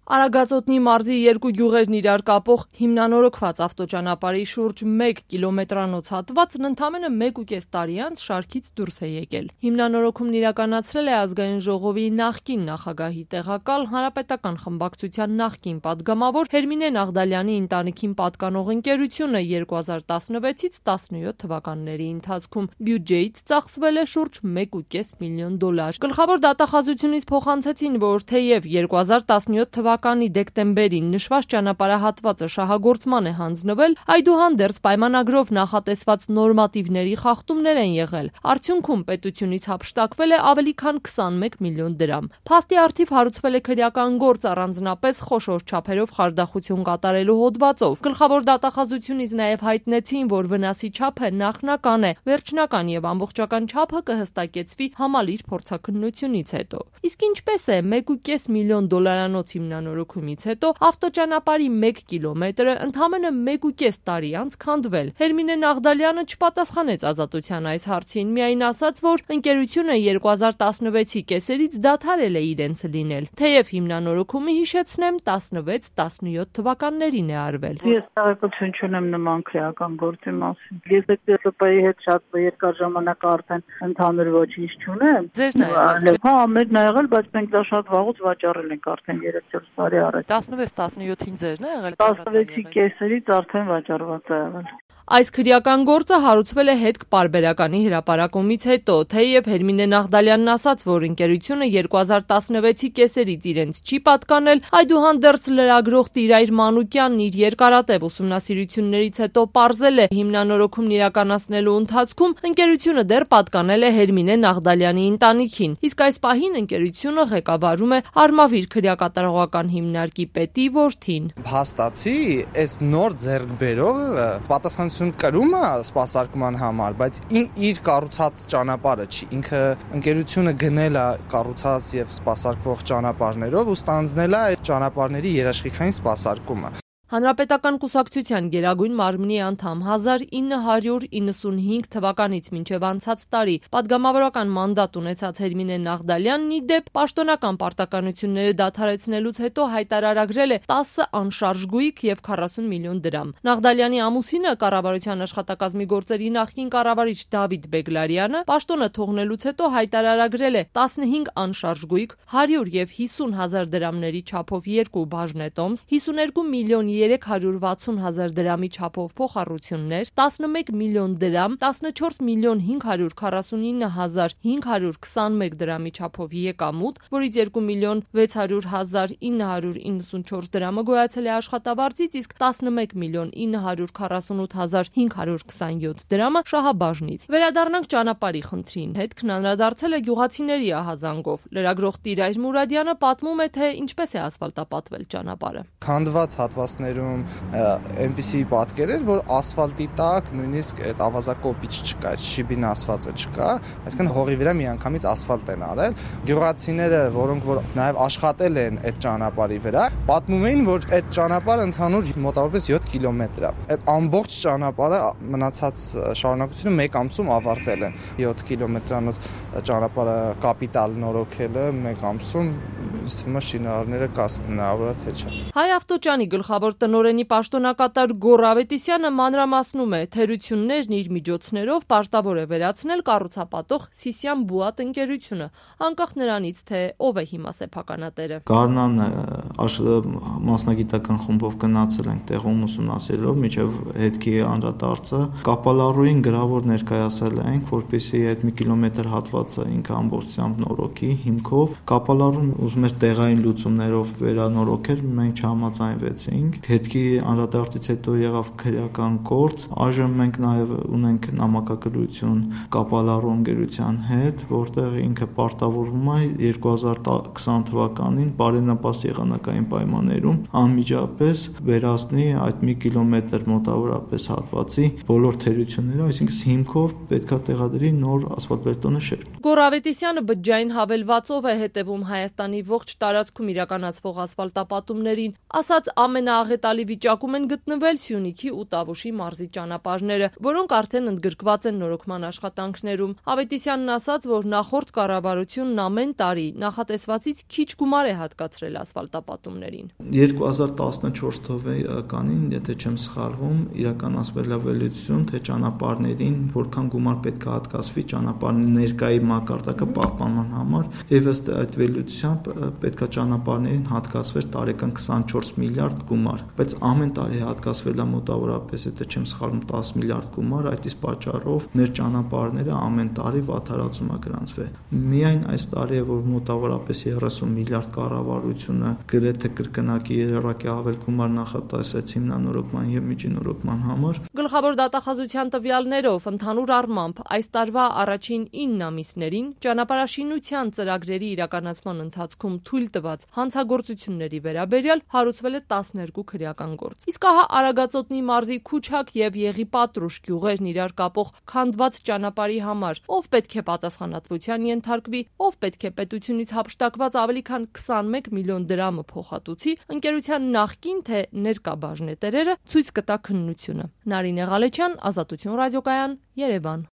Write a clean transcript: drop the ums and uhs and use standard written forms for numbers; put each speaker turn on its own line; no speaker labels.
Արագածոտնի մարզի երկու գյուղերն իրար կապող հիմնանորոգված ավտոճանապարհի շուրջ 1 կիլոմետրանոց հատվածն ընդամենը 1.5 տարի անց շարքից դուրս է եկել։ Հիմնանորոգումն իրականացրել է Ազգային ժողովի նախկին նախագահի տեղակալ Հանրապետական խմբակցության նախկին падգամավոր Հերմինե Նաղդալյանի ընտանիքին պատկանող ընկերությունը 2016-ից 17 թվականների ընթացքում բյուջեից ծախսվել է շուրջ $1.5 միլիոն։ Գլխավոր դատախազությունից փոխանցեցին, որ թեև 2017 թվականի դեկտեմբերին նշված ճանապարհահատվածը շահագործման է հանձնվել, այդուհանդերձ պայմանագրով նախատեսված նորմատիվների խախտումներ են եղել։ Արդյունքում պետությունից հափշտակվել է ավելի քան 21 միլիոն դրամ։ Փաստի առթիվ հարուցվել է քրեական գործ առանձնապես խոշոր չափերով խարդախություն կատարելու հոդվածով։ Գլխավոր դատախազությունից նաև հայտնեցին, որ վնասի չափը նախնական է, վերջնական եւ ամբողջական չափը կհստակեցվի համալիր փորձաքննությունից հետո։ Իսկ ինչպես է $1.5 միլիոն հիմնանորոգումից հետո ավտոճանապարհի 1 կիլոմետրը ընդամենը 1.5 տարի անց քանդվել։ Հերմինե Նաղդալյանը չպատասխանեց Ազատության այս հարցին, միայն ասաց, որ ընկերությունը 2016-ի կեսերից դադարել է իրենց լինել, թեև հիմնանորոգումը, հիշեցնեմ, 16-17 թվականներին է արվել։
Ես տեղեկություն չունեմ նման քրեական գործի մասին։ Ես ԴՏՍՊ-ի հետ շատ երկար ժամանակ արդեն ընդհանուր ոչինչ չունեմ։ Հա, ամեն եղել, բայց մենք դա շատ վաղուց վաճառել ենք արդեն 3-4 տարի առաջ։
16-17-ին ձերն է եղել։
16-ի կեսերից արդեն վաճառված է եղել։
Այս քրեական գործը հարուցվել է հետք-պարբերականի հրապարակումից հետո, թեև Հերմինե Նաղդալյանն ասաց, որ ընկերությունը 2016-ի կեսերից իրենց չի պատկանել, այդուհանդերձ լրագրող Տիրայր Մանուկյանն իր երկարատև ուսումնասիրություններից հետո պարզել է հիմնանորոգումն իրականացնելու ընթացքում ընկերությունը դեռ պատկանել է Հերմինե Նաղդալյանի ընտանիքին, իսկ այս պահին ընկերությունը ղեկավարում է Արմավիր քրեակատարողական հիմնարկի պետի որդին։
Փաստացի, այս նոր ձեռքբերողը պատասխանատվություն կրում է սպասարկման համար, բայց իր կառուցած ճանապարհը չի։ Ինքը ընկերությունը գնել է կառուցած եւ սպասարկվող ճանապարհներով ու ստանձնել է այդ ճանապարհների երաշխիքային սպասարկումը։
Հանրապետական կուսակցության Գերագույն մարմնի անդամ 1995 թվականից մինչև անցած տարի падգամավորական մանդատ ունեցած Հերմինե Նաղդալյանն ի դեպ պաշտոնական պարտականությունները դադարեցնելուց հետո հայտարարագրել է 10 անշարժ գույք եւ 40 միլիոն դրամ։ Նաղդալյանի ամուսինը կառավարության աշխատակազմի գործերի նախկին կառավարիչ Դավիթ Բեգլարյանը պաշտոնը թողնելուց հետո հայտարարագրել է 15 անշարժ գույք, 100 եւ 50 հազար դրամների չափով 2 բաժնետոմս, 52 միլիոն 360 հազար դրամի չափով փոխառություններ, 11 միլիոն դրամ, 14 միլիոն 549 հազար 521 դրամի չափով եկամուտ, որից 2 միլիոն 600 հազար 994 դրամը գոյացել է աշխատավարձից, իսկ 11 միլիոն 948 հազար 527 դրամը շահաբաժնից։ Վերադառնանք ճանապարհի խնդրին։ Հետքն անդրադարձել է գյուղացիների ահազանգով։ Լրագրող Տիրայր Մուրադյանը պատմում է, թե ինչպես է ասֆալտապատվել ճանապարհը։
Քանդված հատվածներում այնպիսի պատկեր էր, որ ասֆալտի տակ նույնիսկ այդ ավազակոպիչ չկա, շիբին ասվածը չկա, այսինքն հողի վրա միանգամից ասֆալտ են արել։ Գյուղացիները, որոնք որ նաև աշխատել են այդ ճանապարհի վրա, պատմում էին, որ այդ ճանապարհը ընդհանուր մոտավորապես 7 կիլոմետր է։ Այդ ամբողջ ճանապարհը մնացած շարունակությունը 1 ամսում ավարտել են։ 7 կիլոմետրանոց ճանապարհը կապիտալ նորոգելը 1 ամսում ինձ թվում է շինարարները կասնավորը թե չէ։
Հայ ավտոճանի գլխավոր տնօրենի պաշտոնակատար Գոռ Ավետիսյանը մանրամասնում է, թերություններն իր միջոցներով պարտավոր է վերացնել կառուցապատող Սիսիան Բուատ ընկերությունը, անկախ նրանից, թե ով է հիմա սեփականատերը։
Գառնան մասնագիտական խումբով գնացել ենք տեղում ուսումնասիրելով մինչև հետքի անդրադարձը կապալառուին գրավոր ներկայացել ենք, որպեսզի այդ 1 կիլոմետր հատվածը ինքը ամբողջությամբ նորոգի հիմքով։ Կապալառուն ուզում էր տեղային լուծումներով վերանորոգել, մենք չհամաձայնվեցինք։ Հետքի անդրադարձից հետո եղավ քրեական գործ։ Այժմ մենք նաև ունենք նամակագրություն Կապալառու ընկերության հետ, որտեղ ինքը պարտավորվում է 2020 թվականին բարենպաստ եղանակային պայմաններում անմիջապես վերացնի այդ 1 կիլոմետր մոտավորապես հատվածի բոլոր թերությունները, այսինքն հիմքով պետքա տեղադրի նոր ասֆալտբետոնե շերտ։
Գոռ Ավետիսյանը բջջային հավելվածով է հետևում Հայաստանի ողջ տարածքում իրականացվող ասֆալտապատումներին, ասաց ամենաաղետալի աղետալի վիճակում են գտնվել Սյունիքի ու Տավուշի մարզի ճանապարհները, որոնք արդեն ընդգրկված են նորոգման աշխատանքներում։ Ավետիսյանն ասաց, որ նախորդ կառավարությունն ամեն տարի նախատեսվածից քիչ գումար է հատկացրել ասֆալտապատումներին։
2014 թվականին, եթե չեմ սխալվում, իրականացվել է վերլուծություն, թե ճանապարհներին որքան գումար պետք է հատկացվի ճանապարհի ներկայի մակարդակը պահպանման համար, եւ ըստ այդ վերլուծությամբ պետք է ճանապարհներին հատկացվեր տարեկան 24 միլիարդ գումար, բայց ամեն տարի հատկացվել է մոտավորապես, եթե չեմ սխալվում, 10 միլիարդ գումար, այդ իսկ պատճառով մեր ճանապարհները ամեն տարի վատթարացում է գրանցվել։ Միայն այս տարի է, որ մոտավորապես 30 միլիարդ կառավարությունը գրեթե կրկնակի երակի ավել գումար նախատեսեց հիմնանորոգման եւ միջինորոգման համար։
Գլխավոր դատախազության տվյալներով ընդհանուր առմամբ այս տարվա առաջին 9 ամիսներին ճանապարհաշինության ծրագրերի իրականացման ընթացքում թույլ տված հանցագործությունների վերաբերյալ հարուցվել է 12 քրեական գործ։ Իսկ ահա Արագածոտնի մարզի Քուչակ եւ Եղիպատրուշ գյուղերն իրար կապող քանդված ճանապարհի համար ով պետք է պատասխանատվության ենթարկվի, ով պետք է պետությունից հափշտակված ավելի քան 21 միլիոն դրամը փոխհատուցի, ընկերության նախկին թե ներկա բաժնետերերը ցույց կտա քննությունը։ Նարինե Ղալեչյան, Ազատություն ռադիոկայան, Երևան։